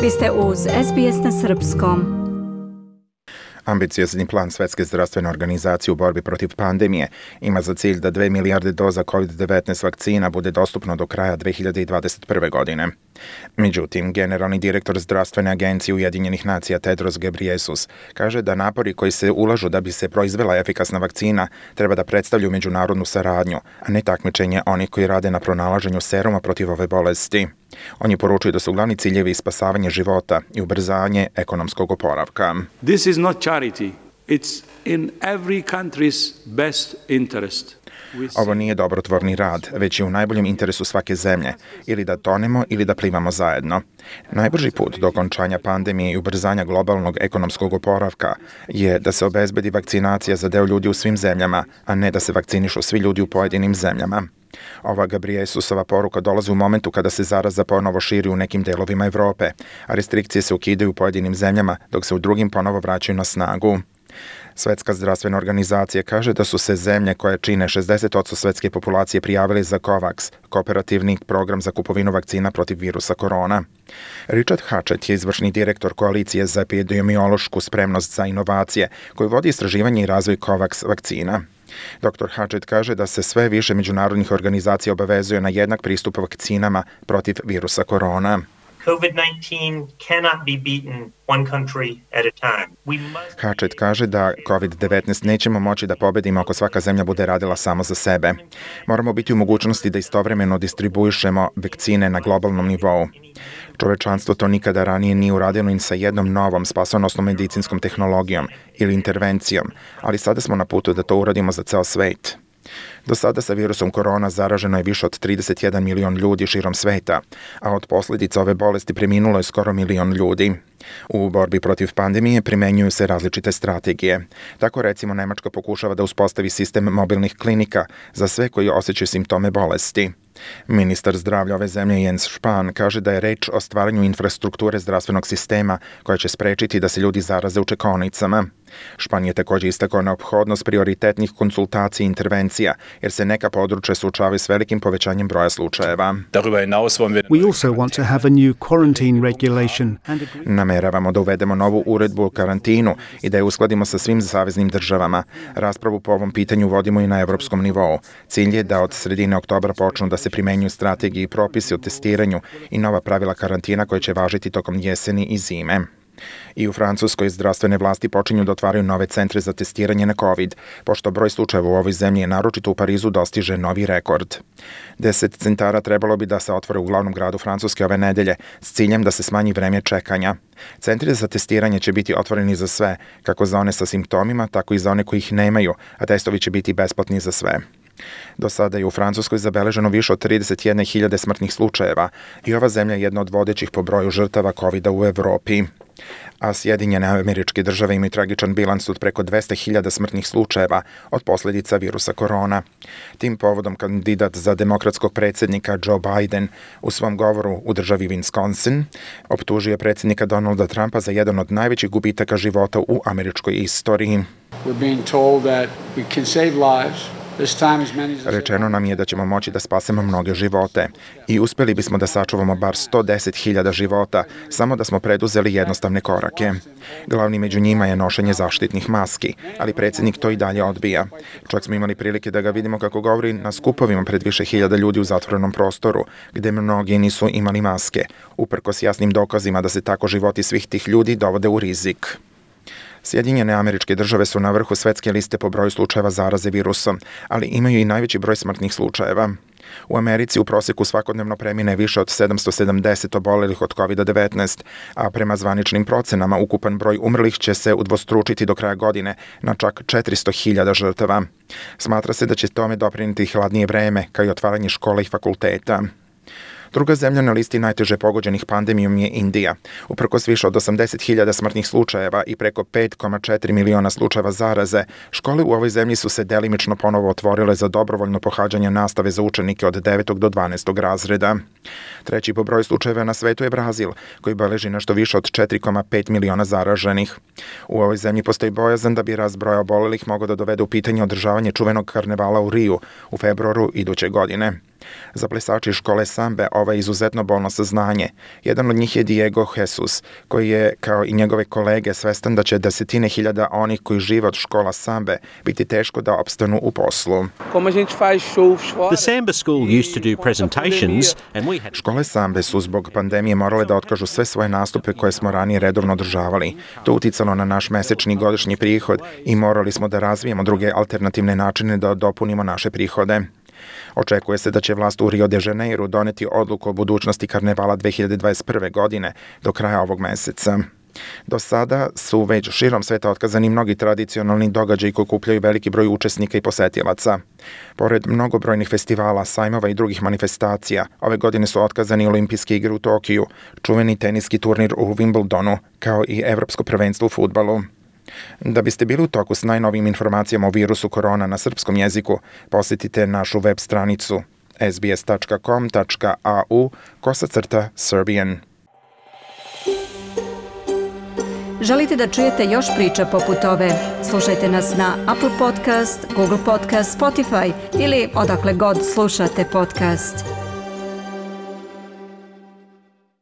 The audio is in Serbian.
Vi ste uz SBS na Srpskom. Ambiciozni plan Svetske zdravstvene organizacije u borbi protiv pandemije ima za cilj da 2 milijarde doza COVID-19 vakcina bude dostupno do kraja 2021. godine. Međutim, generalni direktor Zdravstvene agencije Ujedinjenih nacija Tedros Ghebreyesus kaže da napori koji se ulažu da bi se proizvela efikasna vakcina treba da predstavljaju međunarodnu saradnju, a ne takmičenje onih koji rade na pronalaženju seruma protiv ove bolesti. On je poručio da su glavni ciljevi spasavanje života i ubrzanje ekonomskog oporavka. This is not charity. It's in every country's best interest. Ovo nije dobrotvorni rad, već je u najboljem interesu svake zemlje, ili da tonemo ili da plivamo zajedno. Najbrži put do okončanja pandemije i ubrzanja globalnog ekonomskog oporavka je da se obezbedi vakcinacija za deo ljudi u svim zemljama, a ne da se vakcinišu svi ljudi u pojedinim zemljama. Ova Ghebreyesusova poruka dolazi u momentu kada se zaraza ponovo širi u nekim delovima Evrope, a restrikcije se ukidaju u pojedinim zemljama, dok se u drugim ponovo vraćaju na snagu. Svetska zdravstvena organizacija kaže da su se zemlje koje čine 60% svetske populacije prijavili za COVAX, kooperativni program za kupovinu vakcina protiv virusa korona. Richard Hatchett je izvršni direktor Koalicije za epidemiološku spremnost za inovacije, koji vodi istraživanje i razvoj COVAX vakcina. Dr. Hatchett kaže da se sve više međunarodnih organizacija obavezuje na jednak pristup vakcinama protiv virusa korona. COVID-19 cannot be beaten one country at a time. Hatchett kaže da COVID-19 nećemo moći da pobedimo ako svaka zemlja bude radila samo za sebe. Moramo biti u mogućnosti da istovremeno distribuišemo vakcine na globalnom nivou. Čovečanstvo to nikada ranije nije uradilo ni sa jednom novom spasonosnom medicinskom tehnologijom ili intervencijom, ali sada smo na putu da to uradimo za ceo svet. Do sada sa virusom korona zaraženo je više od 31 milion ljudi širom sveta, a od posljedica ove bolesti preminulo je skoro milion ljudi. U borbi protiv pandemije primenjuju se različite strategije. Tako recimo Nemačka pokušava da uspostavi sistem mobilnih klinika za sve koji osjećaju simptome bolesti. Ministar zdravlja ove zemlje Jens Spahn kaže da je reč o stvaranju infrastrukture zdravstvenog sistema koja će sprečiti da se ljudi zaraze u čekaonicama. Špan je također istakao neophodnost prioritetnih konsultacija i intervencija, jer se neka područja suočavaju s velikim povećanjem broja slučajeva. We also want to have a new quarantine regulation. Nameravamo da uvedemo novu uredbu o karantinu i da je uskladimo sa svim saveznim državama. Raspravu po ovom pitanju vodimo i na evropskom nivou. Cilj je da od sredine oktobra počnu da se primenjuju strategije i propisi o testiranju i nova pravila karantina koje će važiti tokom jeseni i zime. I u Francuskoj zdravstvene vlasti počinju da otvaraju nove centre za testiranje na COVID, pošto broj slučajeva u ovoj zemlji, naročito u Parizu, dostiže novi rekord. 10 centara trebalo bi da se otvore u glavnom gradu Francuske ove nedelje s ciljem da se smanji vreme čekanja. Centri za testiranje će biti otvoreni za sve, kako za one sa simptomima, tako i za one koji ih nemaju, a testovi će biti besplatni za sve. Do sada je u Francuskoj zabeleženo više od 31.000 smrtnih slučajeva i ova zemlja je jedna od vodećih po broju žrtava COVID-a u Evropi. A Sjedinjene Američke Države imaju tragičan bilans od preko 200.000 smrtnih slučajeva od posljedica virusa korona. Tim povodom kandidat za demokratskog predsjednika Joe Biden u svom govoru u državi Wisconsin optužio predsjednika Donalda Trumpa za jedan od najvećih gubitaka života u američkoj istoriji. We're being told that we can save lives. Rečeno nam je da ćemo moći da spasemo mnoge živote i uspjeli bismo da sačuvamo bar 110.000 života samo da smo preduzeli jednostavne korake. Glavni među njima je nošenje zaštitnih maski, ali predsjednik to i dalje odbija. Čak smo imali prilike da ga vidimo kako govori na skupovima pred više hiljada ljudi u zatvorenom prostoru, gde mnogi nisu imali maske, uprkos jasnim dokazima da se tako životi svih tih ljudi dovode u rizik. Sjedinjene Američke Države su na vrhu svetske liste po broju slučajeva zaraze virusom, ali imaju i najveći broj smrtnih slučajeva. U Americi u prosjeku svakodnevno premine više od 770 obolelih od COVID-19, a prema zvaničnim procenama ukupan broj umrlih će se udvostručiti do kraja godine na čak 400.000 žrtava. Smatra se da će tome doprinijeti hladnije vreme, kao i otvaranje škola i fakulteta. Druga zemlja na listi najteže pogođenih pandemijom je Indija. Uprkos više od 80.000 smrtnih slučajeva i preko 5,4 miliona slučajeva zaraze, škole u ovoj zemlji su se delimično ponovo otvorile za dobrovoljno pohađanje nastave za učenike od 9. do 12. razreda. Treći po broju slučajeva na svetu je Brazil, koji beleži nešto više od 4,5 miliona zaraženih. U ovoj zemlji postoji bojazan da bi rast broja obolelih mogao da dovede u pitanje održavanje čuvenog karnevala u Riju u februaru iduće godine. Za plesače škole sambe ovo je izuzetno bolno saznanje. Jedan od njih je Diego Jesus, koji je, kao i njegove kolege, svestan da će desetine hiljada onih koji žive od škola sambe biti teško da opstanu u poslu. The Samba school used to do presentations and we had Škole sambe su zbog pandemije morale da otkažu sve svoje nastupe koje smo ranije redovno održavali. To uticalo na naš mesečni godišnji prihod i morali smo da razvijemo druge alternativne načine da dopunimo naše prihode. Očekuje se da će vlast u Rio de Janeiro doneti odluku o budućnosti karnevala 2021. godine do kraja ovog meseca. Do sada su već širom sveta otkazani mnogi tradicionalni događaji koji okupljaju veliki broj učesnika i posetilaca. Pored mnogobrojnih festivala, sajmova i drugih manifestacija, ove godine su otkazani olimpijske igre u Tokiju, čuveni teniski turnir u Wimbledonu, kao i evropsko prvenstvo u fudbalu. Da biste bili u toku s najnovijim informacijama o virusu korona na srpskom jeziku, posjetite našu web stranicu sbs.com.au/Serbian. Želite da čujete još priča poput ove? Slušajte nas na Apple Podcast, Google Podcast, Spotify ili odakle god slušate podcast.